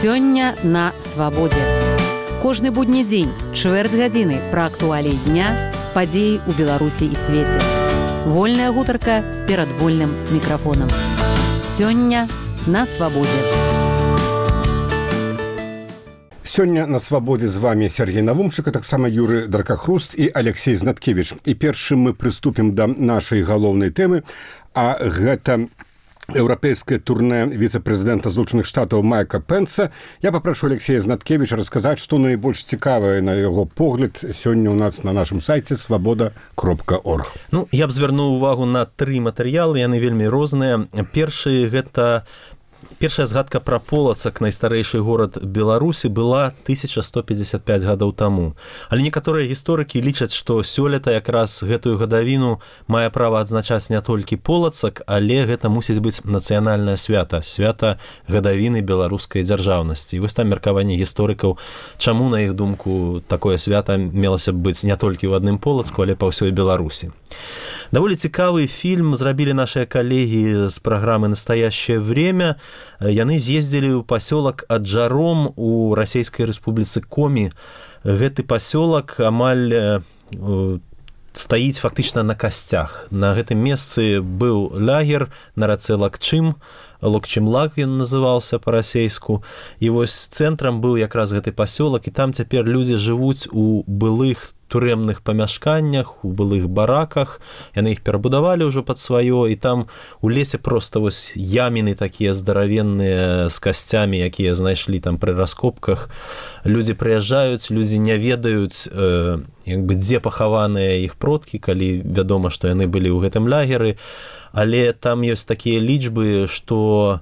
Сёння на свабодзе. Кожны будні дзень, чвэрць гадзіны пра актуаліі дня, падзеі ў Беларусі і свеце. Вольная гутарка перад вольным мікрафонам. Сёння на свабодзе. Сёння на свабодзе з вами Сергей Навумчык, а таксама Юрый Даркахруст і Алексей Знаткевич. І першым мы прыступім да нашай галоўнай тэмы, а гэта еўрапейскае турне віцэ-прэзідэнта Злучаных Штатаў Майка Пенса. Я папрошу Алексея Знаткевича расказаць, што найбольш цікавае на яго погляд сёння ў нас на нашым сайце свабода.орг. Я б звярнуў увагу на 3 матэрыялы, яны вельмі розныя. Першая згадка пра Полацак, найстарэйшы горад Беларусі, была 1155 гадоў таму. Але некаторыя гісторыкі лічаць, што сёлета якраз гэтую гадавіну мае права адзначаць не толькі Полацак, але гэта мусіць быць нацыянальнае свята, свята гадавіны беларускай дзяржаўнасці. І вось там меркаванне гісторыкаў, чаму, на іх думку, такое свята мелася б быць не толькі ў адным Полацку, але па ўсёй Беларусі. Даволі цікавы фільм зрабілі нашыя калегі з праграмы «Настоящее время». Яны з'ездзілі ў пасёлак Аджаром у Расійскай Рэспубліцы Комі. Гэты пасёлак амаль стаіць фактычна на касцях. На гэтым месцы быў лагер на рацэ Лакчым, Локчымлак ён называўся па-расейску. І вось цэнтрам быў якраз гэты пасёлак, і там цяпер людзі жывуць у былых турэмных памяшканнях, у былых бараках. Яны іх перабудавалі ўжо пад сваё, і там у лесе проста вось яміны такія здаравенныя з касцямі, якія знайшлі там пры раскопках. Людзі прыязджаюць, людзі не ведаюць, дзе пахаваныя іх продкі, калі вядома, што яны былі ў гэтым лагеры. Але там ёсць такія лічбы, што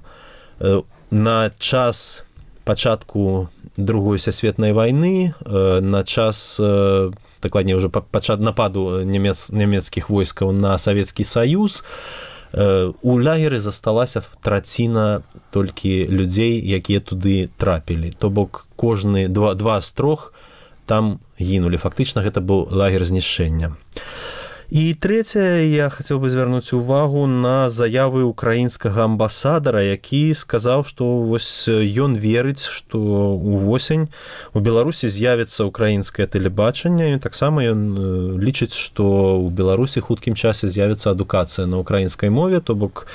на час пачатку Другой сусветнай вайны, на час, дакладней ўжо нападу нямецкіх войскаў на Савецкі Саюз, у лагеры засталася траціна толькі людзей, якія туды трапілі. То бок кожны два з 3 там гінулі. Фактычна гэта быў лагер знішчэння. І трэцяе, я хацеў бы звярнуць увагу на заявы украінскага амбасадара, які сказаў, што вось ён верыць, што увосень у Беларусі з'явіцца украінскае тэлебачанне, і таксама ён лічыць, што ў Беларусі хуткім часе з'явіцца адукацыя на украінскай мове, то бок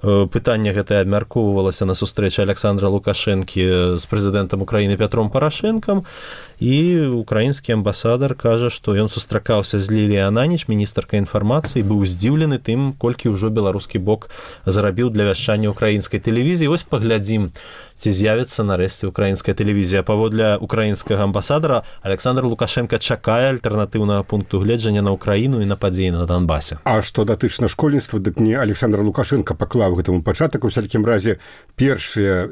пытанне гэтае абмяркоўвалася на сустрэчы Александра Лукашэнкі з прэзідэнтам Украіны Пятром Парашэнкам, і украінскі амбасадар кажа, што ён сустракаўся з Ліліяй Ананіч, міністркай інфармацыі, быў здзіўлены тым, колькі ўжо беларускі бок зарабіў для вяшчання украінскай тэлевізіі. Вось паглядзім, ці з'явіцца нарэшце украінская тэлевізія. Паводле украінскага амбасадара, Александр Лукашенко чакае альтэрнатыўнага пункту гледжання на Украіну і на падзеі на Донбасе. А што датычна школьніцтва, дык не Александр Лукашенко паклаў гэтаму пачатак. У всякім разе першая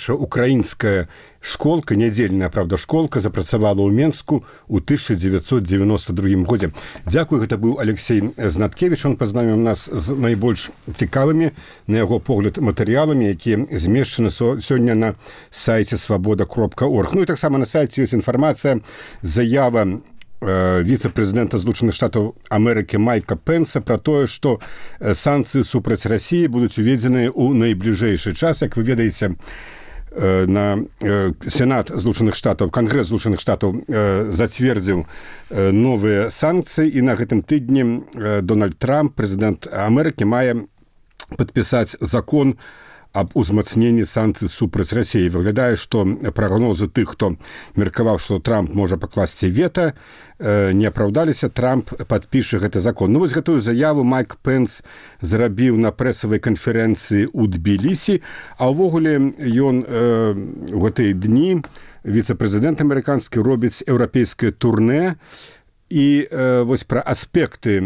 украінская школка, нядзельная, правда, школка запрацавала ў Менску ў 1992 годзе. Дзякую, гэта быў Алексей Знаткевич. Он пазнавіў нас з найбольш цікавымі, на яго погляд, матэрыяламі, якія змешчаны сёння на сайце свабода.орг. І таксама на сайце ёсць інфармацыя, заява віцэ-прэзідэнта Злучаных Штатаў Амерыкі Майка Пенса пра тое, што санкцыі супраць Расіі будуць уведзеныя ў найбліжэйшы час. Як вы ведаеце, на Сенат Злучаных Штатаў, Кангрэс Злучаных Штатаў зацвердзіў новыя санкцыі, і на гэтым тыдні Дональд Трамп, прэзідэнт Амерыкі, мае падпісаць закон аб узмацненні санкцый супраць Расіі. Выглядае, што прагнозы тых, хто меркаваў, што Трамп можа пакласці вета, не апраўдаліся. Трамп падпіша гэты закон. Вось гэтую заяву Майк Пенс зрабіў на прэсавай канферэнцыі ў Тбілісі, а ўвогуле ён у гэтыя дні, віцэ-прэзідэнт амерыканскі, робіць еўрапейскае турне. І вось пра аспекты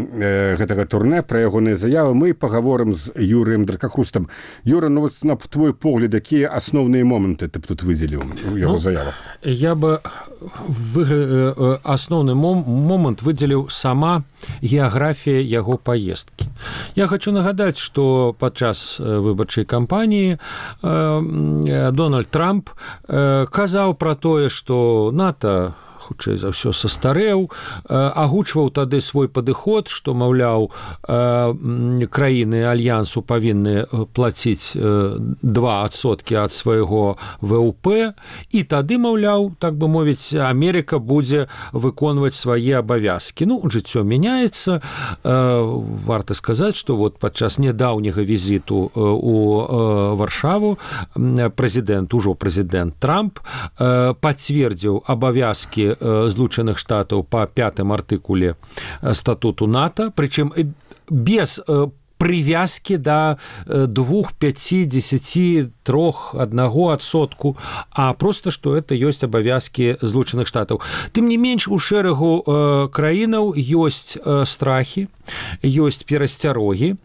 гэтага турне, пра ягоныя заявы мы пагаворым з Юрыем Даркахрустам. Юра, вот на твой погляд, якія асноўныя моманты ты б тут выдзеліў у яго заявах? Я бы асноўны момант выдзеліў сама геаграфія яго паездкі. Я хочу нагадаць, што падчас выбарчай кампаніі Дональд Трамп казаў пра тое, што НАТО хутчэй за ўсё састарэў, агучваў тады свой падыход, што, маўляў, краіны альянсу павінны плаціць 2% ад свайго ВУП, і тады, маўляў, так бы мовіць, Амерыка будзе выконваць свае абавязкі. Ну, жыццё мяняецца. Варта сказаць, што вот падчас нядаўняга візіту у Варшаву ужо прэзідэнт Трамп пацвердзіў абавязкі Злучаных Штатаў па 5-м артыкуле статуту НАТО, прычым без прывязкі да 2, 5, 10, 3, 1%, а просто, што это ёсць абавязкі Злучаных Штатаў. Тым не менш, у шэрагу краінаў ёсць страхі, ёсць перасцярогі,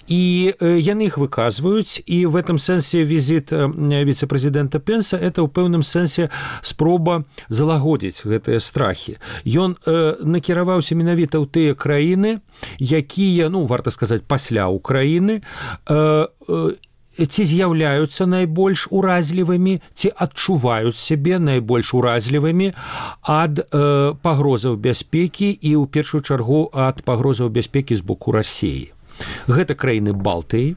і яны іх выказваюць, і в этом сэнсе візіт віцэ-прэзідэнта Пенса – это ў пэўным сэнсе спроба залагодзіць гэтыя страхі. Ён накіраваўся менавіта ў тыя краіны, якія, ну, варта сказаць, пасля Украіны, ці з'яўляюцца найбольш уразлівымі, ці адчуваюць сябе найбольш уразлівымі ад пагрозаў бяспекі і, ў першую чаргу, ад пагрозаў бяспекі з боку Расіі. Гэта краіны Балтыі,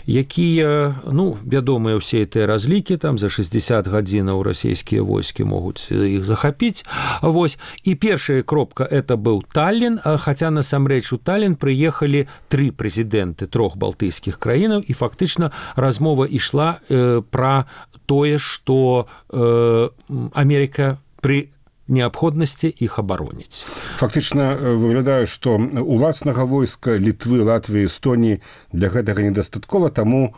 якія, ну, вядомыя ўсе тыя разлікі, там за 60 гадзінаў расійскія войскі могуць іх захапіць. Вось. І першая кропка это быў Таллін, хаця насамрэч у Таллін прыехалі 3 прэзідэнты 3 балтыйскіх краінаў, і фактычна размова ішла пра тое, што Амерыка пры неабходнасці іх абароніць. Фактычна выглядае, што уласнага войска Літвы, Латвіі, Эстоніі для гэтага недастаткова, таму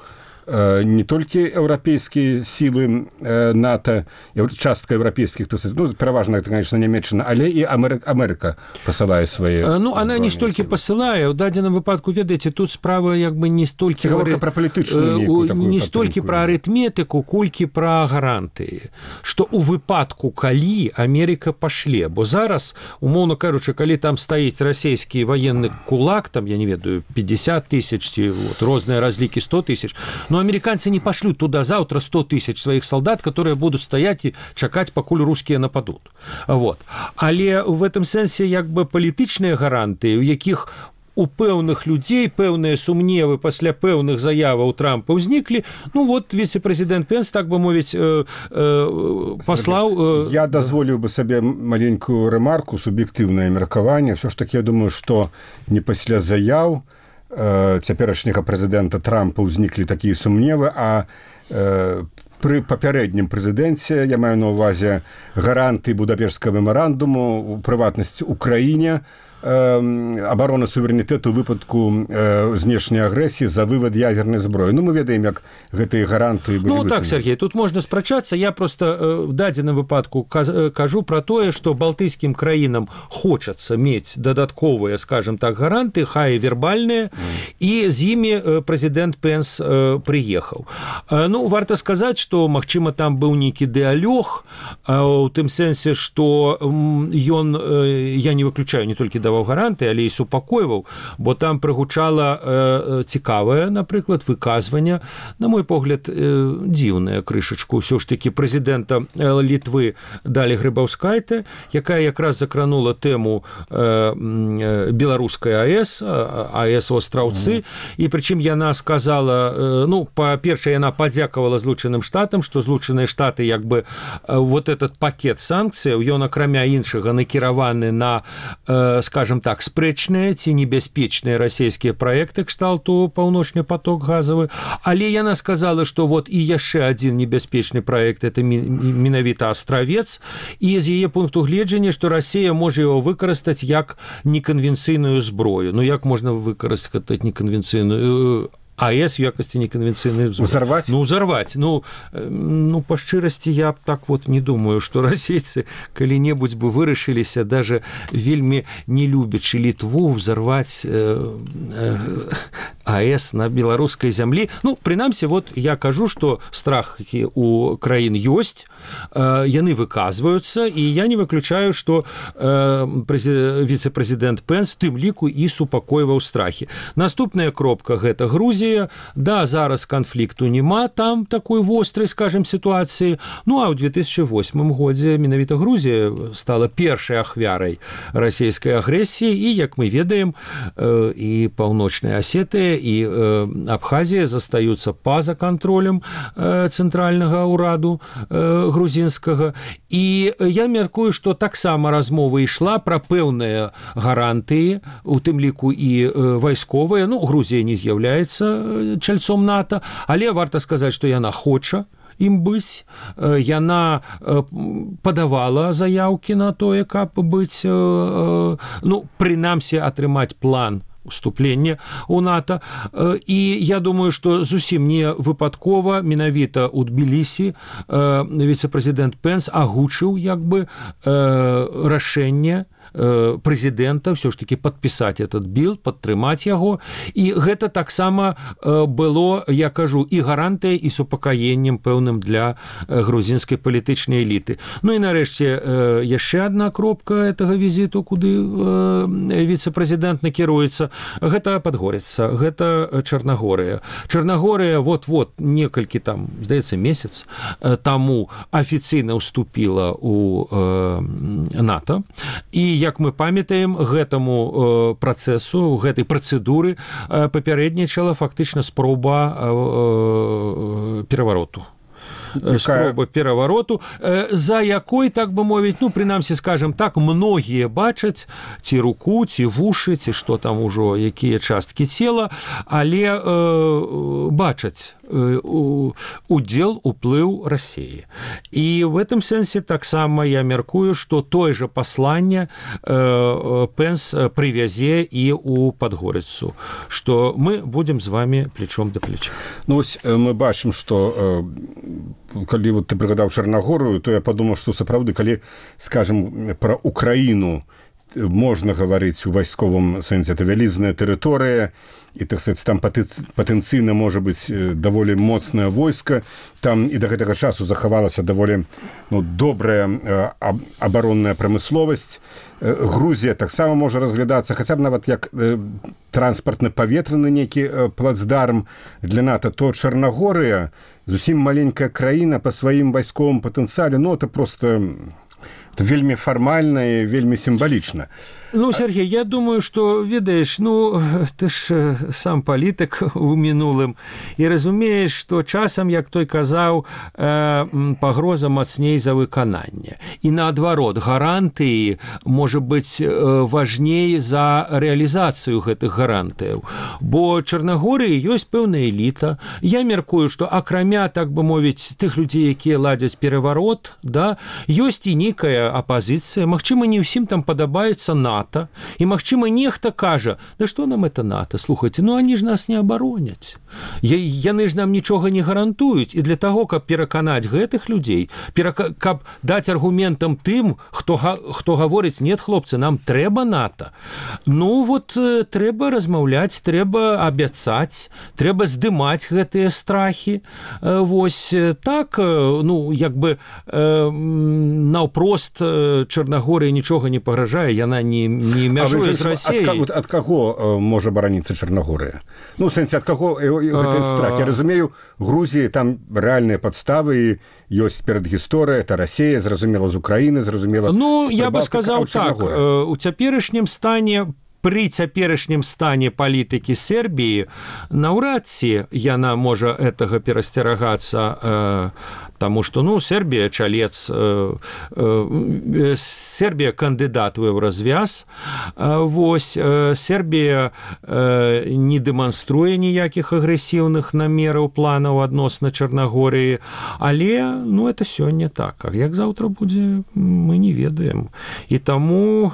не толькі еўрапейскія сілы НАТО, частка еўрапейскіх, ну, пераважна, это, конечно, Нямецчына, але і Амерыка пасылае свае... Ну, она не столькі пасылае. У дадзеным выпадку, ведаеце, тут справа як бы не столькі... Гаворка пра палітычную нейкую такую... Не столькі пра арытметыку, колькі пра гарантыі. Што ў выпадку, калі Амерыка пашле, бо зараз, умоўна кажучы, калі там стаіць расійскі ваенны кулак, там, я не ведаю, 50 тысяч, ці вот, розныя разлікі 100 тысяч, но американцы не пошлют туда завтра 100 тысяч своих солдат, которые будут стоять и чакать, покуль русские нападут. Вот. Але в этом сенсе як бы палітычныя гарантыі, у якіх у пэўных людзей пэўныя сумневы пасля пэўных заяваў Трампа ўзніклі. Ну вот віцэ-прэзідэнт Пенс, так бы мовіць, паслаў... Я дазволіў бы сабе маленькую рэмарку, суб'ектыўнае меркаванне. Все ж таки, я думаю, што не пасля заяў цяперашняга прэзідэнта Трампа ўзніклі такія сумневы, а пры папярэднім прэзідэнце, я маю на ўвазе гаранты Будапешскага мемарандуму, у прыватнасці Украіне, абарона суверэнітэту ў выпадку знешняй агрэсіі за вывад ядзернай зброі. Ну, мы ведаем, як гэтыя гаранты былі выкананы. Ну, так, Сергей, тут можна спрачацца. Я просто в дадзеным выпадку кажу пра тое, што балтыйскім краінам хочацца мець дадатковыя, скажем так, гаранты, хай вербальныя, і з імі прэзідэнт Пенс прыехаў. Ну, варта сказаць, што, магчыма, там быў нейкі дыалог, у тым сэнсе, што ён, я не выключаю не толькі даваў гаранты, але і супакойваў, бо там прыгучала цікавае, напрыклад, выказванне, на мой погляд, дзіўная крышачку ўсё ж такі прэзідэнта Літвы Далі Грыбаўскайте, якая якраз закранула тэму беларускай АЭС, АЭС Остраўцы, і прычым яна сказала, ну, па-першае, яна падзякавала Злучаным Штатам, што Злучаныя Штаты, як бы, вот этот пакет санкцыяў, ён, акрамя іншага, накіраваны на, скажем так, спрэчныя ці небяспечныя расійскія праекты кшталту «Паўночны поток» газавы, але яна сказала, што вот і яшчэ адзін небяспечны праект – это менавіта Астравец, і з яе пункту гледжання, што Расія можа яго выкарыстаць як неканвенцыйную зброю. Ну, як можна выкарыстаць неканвенцыйную АЭС в якасці неканвенцыйнай зброі? Узарваць? Ну, узарваць. Ну, па шчырасці, я так вот не думаю, што расейцы калі-небудзь бы вырашыліся, даже вельмі не любячы Літву, узарваць АЭС на беларускай зямлі. Ну, прынамсі, вот я кажу, што страхі у краін ёсць, яны выказваюцца, і я не выключаю, што віцэ-прэзідэнт Пенс тым ліку і супакойваў страхі. Наступная кропка – гэта Грузія. Да, зараз канфлікту няма там такой вострай, скажем, сітуацыі. Ну, а ў 2008 годзе менавіта Грузія стала першай ахвярай расійскай агрэсіі, і, як мы ведаем, і Паўночная Асетыя, і Абхазія застаюцца па-за кантролем цэнтральнага ўраду грузінскага. І я мяркую, што таксама размова ішла пра пэўныя гарантыі, у тым ліку і вайсковыя. Ну, Грузія не з'яўляецца чальцом НАТО, але варта сказаць, што яна хоча ім быць. Яна падавала заяўкі на тое, каб быць, ну, прынамсі, атрымаць план уступлення ў НАТО. І я думаю, што зусім не выпадкова менавіта ў Тбілісі віцэ-прэзідэнт Пенс агучыў як бы рашэнне прэзідэнта ўсё ж такі падпісаць этот біл, падтрымаць яго. І гэта таксама было, я кажу, і гарантыяй, і супакаеннем пэўным для грузінскай палітычнай эліты. Ну і нарэшце яшчэ адна кропка гэтага візіту, куды віцэ-прэзідэнт накіруецца. Гэта Падгоріца, гэта Чарнагорыя. Чарнагорыя вот-вот некалькі там, здаецца, месяц таму афіцыйна ўступіла ў НАТО. І як мы памятаем, гэтаму працэсу, гэтай працэдуры папярэднічала фактычна спроба перавароту. Спроба перавароту, за якой, так бы мовіць, ну, прынамсі, скажем так, многія бачаць ці руку, ці вушы, ці што там ужо, якія часткі цела, але бачаць удзел, уплыў Расіі. І в этом сэнсе таксама я мяркую, што тое же пасланне Пенс прывязе і ў Падгорыцу, што мы будзем з вами плечом да плеча. Ну, ось мы бачым, што калі вот ты прыгадаў Чарнагорыю, то я падумаў, што сапраўды, калі, скажем, пра Украіну можна гаварыць у вайсковым сэнсе, это вялізная тэрыторыя, і, так сказать, там патэнцыйна можа быць даволі моцнае войска, там і да гэтага часу захавалася даволі добрая абаронная прамысловасць. Грузія таксама можа разглядацца, хаця б нават як транспартна-паветраны нейкі плацдарм для НАТО, то Чарнагорыя зусім маленькая краіна па сваім вайсковым патэнцыяле, ну, это просто вельмі фармальна і вельмі сімвалічна. Ну, Сергей, я думаю, што, ведаеш, ну, ты ж сам палітык у мінулым і разумееш, што часам, як той казаў, пагроза мацней за выкананне. І наадварот, гарантыі можа быць важней за рэалізацыю гэтых гарантыяў. Бо Чарнагорыі ёсць пэўная эліта. Я мяркую, што акрамя, так бы мовіць, тых людзей, якія ладзяць пераварот, да, ёсць і нейкая апазіцыя. Магчыма, не ўсім там падабаецца НАТО. І, магчыма, нехта кажа, да што нам это НАТО? Слухайце, ну они ж нас не абароняць. Яны ж нам нічога не гарантуюць. І для таго, каб пераканаць гэтых людзей, каб даць аргументам тым, хто гаворыць, нет, хлопцы, нам трэба НАТО. Ну, вот трэба размаўляць, трэба абяцаць, трэба здымаць гэтыя страхі. Вось так, ну, як бы наўпрост Чарнагорыя нічога не пагражае, яна не мяжуе з Расіяй. Ад каго можа бараніцца Чарнагорыя? Ну, в сэнсе, ад каго гэты страх? Я разумею, Грузіі там рэальныя падставы, ёсць перадгісторыя, это Расія, зразумела, з Украіны, зразумела... Ну, я бы сказаў так, у цяперашнім стане, пры цяперашнім стане палітыкі Сербіі, наўрад ці яна можа гэтага перасцерагацца, таму што, ну, Сербія чалец, Сербія кандыдат у еўразвяз, вось, Сербія не дэманструе ніякіх агрэсіўных намераў, планаў адносна Чарнагорыі, але, ну, это сёння так, а як заўтра будзе, мы не ведаем. І таму,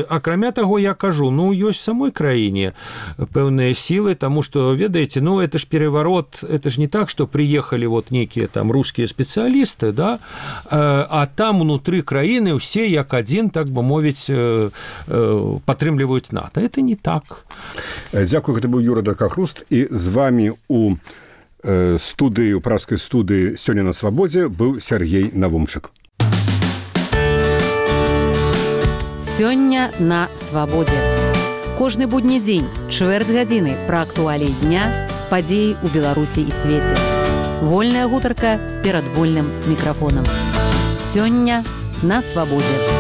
акрамя таго, я кажу, ну, ёсць в самой краіне пэўныя сілы, таму што, ведаеце, ну, это ж переворот, это ж не так, што прыехалі вот некія там рускія спецыялісты, да, а там унутры краіны ўсе як адзін, так бы мовіць, падтрымліваюць НАТО. Это не так. Дзякую, гэта быў Юра Даркахруст, і з вами у студыі, у пражскай студыі сёння на свабодзе быў Сергей Навумчык. Сёння на свабодзе. Кожны будні дзень, чвэрць гадзіны пра актуаліі дня, падзеі ў Беларусі і свеце. Вольная гутарка перад вольным мікрафонам. Сёння на свабодзе.